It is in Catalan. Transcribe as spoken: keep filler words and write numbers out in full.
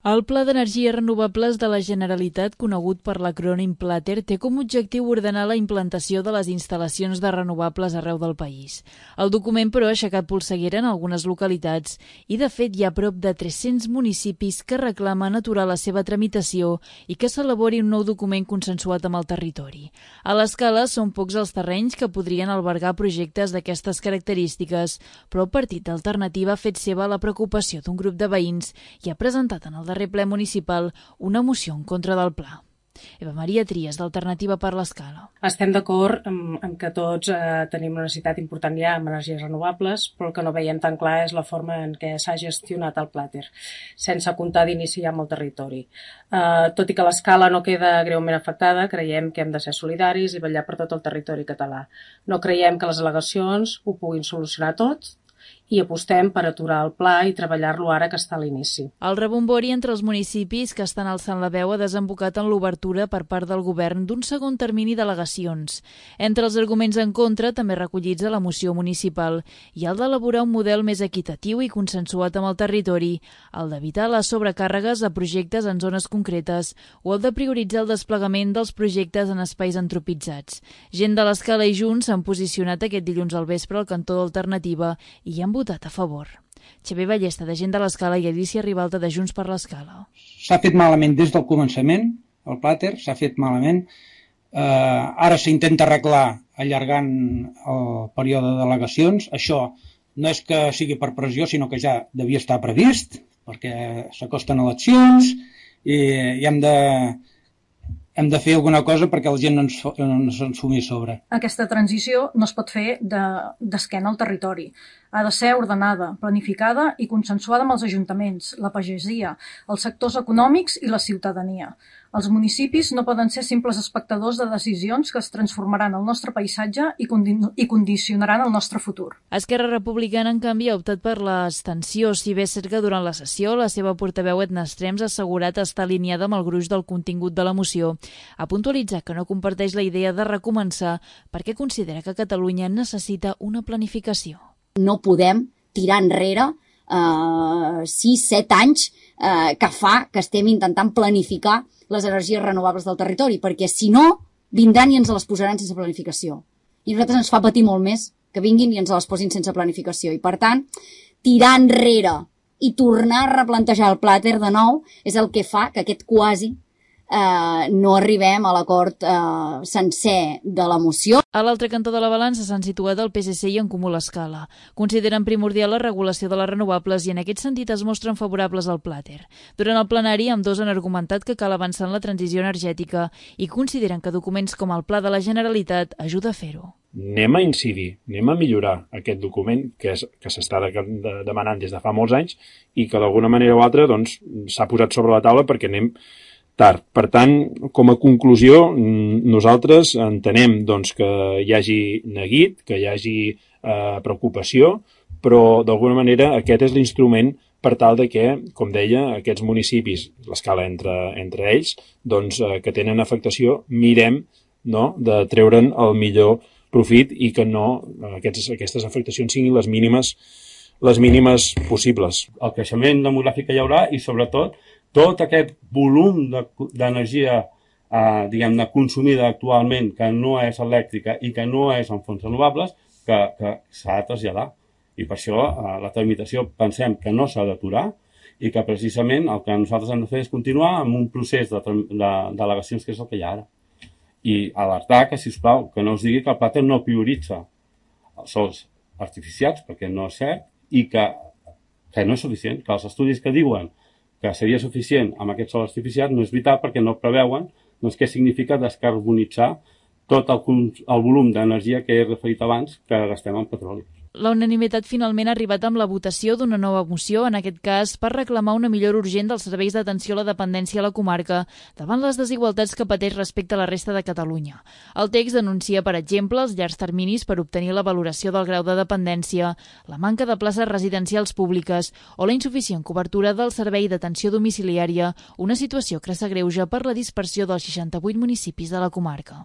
El Pla d'Energies Renovables de la Generalitat, conegut per l'acrònim PLATER, té com a objectiu ordenar la implantació de les instal·lacions de renovables arreu del país. El document, però, ha aixecat polseguera en algunes localitats i, de fet, hi ha prop de tres-cents municipis que reclamen aturar la seva tramitació i que s'elabori un nou document consensuat amb el territori. A l'escala, són pocs els terrenys que podrien albergar projectes d'aquestes característiques, però el Partit Alternativa ha fet seva la preocupació d'un grup de veïns i ha presentat en el darrer ple municipal una moció en contra del pla. Eva Maria Trias, d'Alternativa per l'Escala. Estem d'acord amb, amb que tots eh, tenim una necessitat important ja amb energies renovables, però el que no veiem tan clar és la forma en què s'ha gestionat el PLATER, sense comptar d'inici amb el territori. Eh, tot i que l'Escala no queda greument afectada, creiem que hem de ser solidaris i vetllar per tot el territori català. No creiem que les al·legacions ho puguin solucionar tot, i apostem per aturar el pla i treballar-lo ara que està a l'inici. El rebombori entre els municipis que estan alçant la veu ha desembocat en l'obertura per part del govern d'un segon termini d'al·legacions. Entre els arguments en contra, també recollits a la moció municipal, hi ha el d'elaborar un model més equitatiu i consensuat amb el territori, el d'evitar les sobrecàrregues de projectes en zones concretes o el de prioritzar el desplegament dels projectes en espais antropitzats. Gent de l'Escala i Junts s'han posicionat aquest dilluns al vespre al cantó d'Alternativa i hi han votat a favor. Xavier Ballesta, de Gent de l'Escala, i Alicia Ribalta, de Junts per l'Escala. S'ha fet malament des del començament, el PLATER s'ha fet malament. Eh, ara s'intenta arreglar allargant el període d'al·legacions. Això no és que sigui per pressió, sinó que ja devia estar previst, perquè s'acosten eleccions i, i hem de... hem de fer alguna cosa perquè la gent no ens, no se'ns fumi a sobre. Aquesta transició no es pot fer d'esquena al territori. Ha de ser ordenada, planificada i consensuada amb els ajuntaments, la pagesia, els sectors econòmics i la ciutadania. Els municipis no poden ser simples espectadors de decisions que es transformaran el nostre paisatge i, condi i condicionaran el nostre futur. Esquerra Republicana, en canvi, ha optat per l'abstenció, si bé és cert que durant la sessió la seva portaveu Edna Estrems ha assegurat estar alineada amb el gruix del contingut de la moció. Ha puntualitzat que no comparteix la idea de recomençar perquè considera que Catalunya necessita una planificació. No podem tirar enrere eh, sis set anys eh, que fa que estem intentant planificar les energies renovables del territori, perquè si no, vindran i ens les posaran sense planificació. I a nosaltres ens fa patir molt més que vinguin i ens les posin sense planificació. I per tant, tirar enrere i tornar a replantejar el PLATER de nou és el que fa que aquest quasi Eh, no arribem a l'acord eh, sencer de la moció. A l'altre cantó de la balança s'han situat el P S C i en Comú l'Escala. Consideren primordial la regulació de les renovables i en aquest sentit es mostren favorables al PLATER. Durant el plenari, ambdós han argumentat que cal avançar en la transició energètica i consideren que documents com el Pla de la Generalitat ajuda a fer-ho. Anem a incidir, anem a millorar aquest document que és, que s'està de, de, demanant des de fa molts anys i que d'alguna manera o altra doncs, s'ha posat sobre la taula perquè anem tard. Per tant, com a conclusió, nosaltres entenem doncs, que hi hagi neguit, que hi hagi eh, preocupació, però d'alguna manera aquest és l'instrument per tal de que, com deia, aquests municipis, l'escala entre, entre ells, doncs, eh, que tenen afectació, mirem no, de treure'n el millor profit i que no aquests, aquestes afectacions siguin les mínimes, les mínimes possibles. El creixement demogràfic que hi haurà i, sobretot, tot aquest volum d'energia eh, diguem-ne consumida actualment que no és elèctrica i que no és en fonts renovables que, que s'ha de traslladar. I per això eh, la tramitació pensem que no s'ha d'aturar i que precisament el que nosaltres hem de fer és continuar amb un procés d'al·legacions que és el que hi ha ara. I alertar que, sisplau, que no us digui que el PLATER no prioritza els sols artificials, perquè no és cert, i que, que no és suficient, que els estudis que diuen que seria suficient amb aquest sol artificial no és veritat perquè no preveuen doncs, què significa descarbonitzar tot el, el volum d'energia que he referit abans que gastem en petroli. La unanimitat finalment ha arribat amb la votació d'una nova moció, en aquest cas per reclamar una millora urgent dels serveis d'atenció a la dependència a la comarca davant les desigualtats que pateix respecte a la resta de Catalunya. El text denuncia, per exemple, els llargs terminis per obtenir la valoració del grau de dependència, la manca de places residencials públiques o la insuficient cobertura del servei d'atenció domiciliària, una situació que s'agreuja per la dispersió dels seixanta-vuit municipis de la comarca.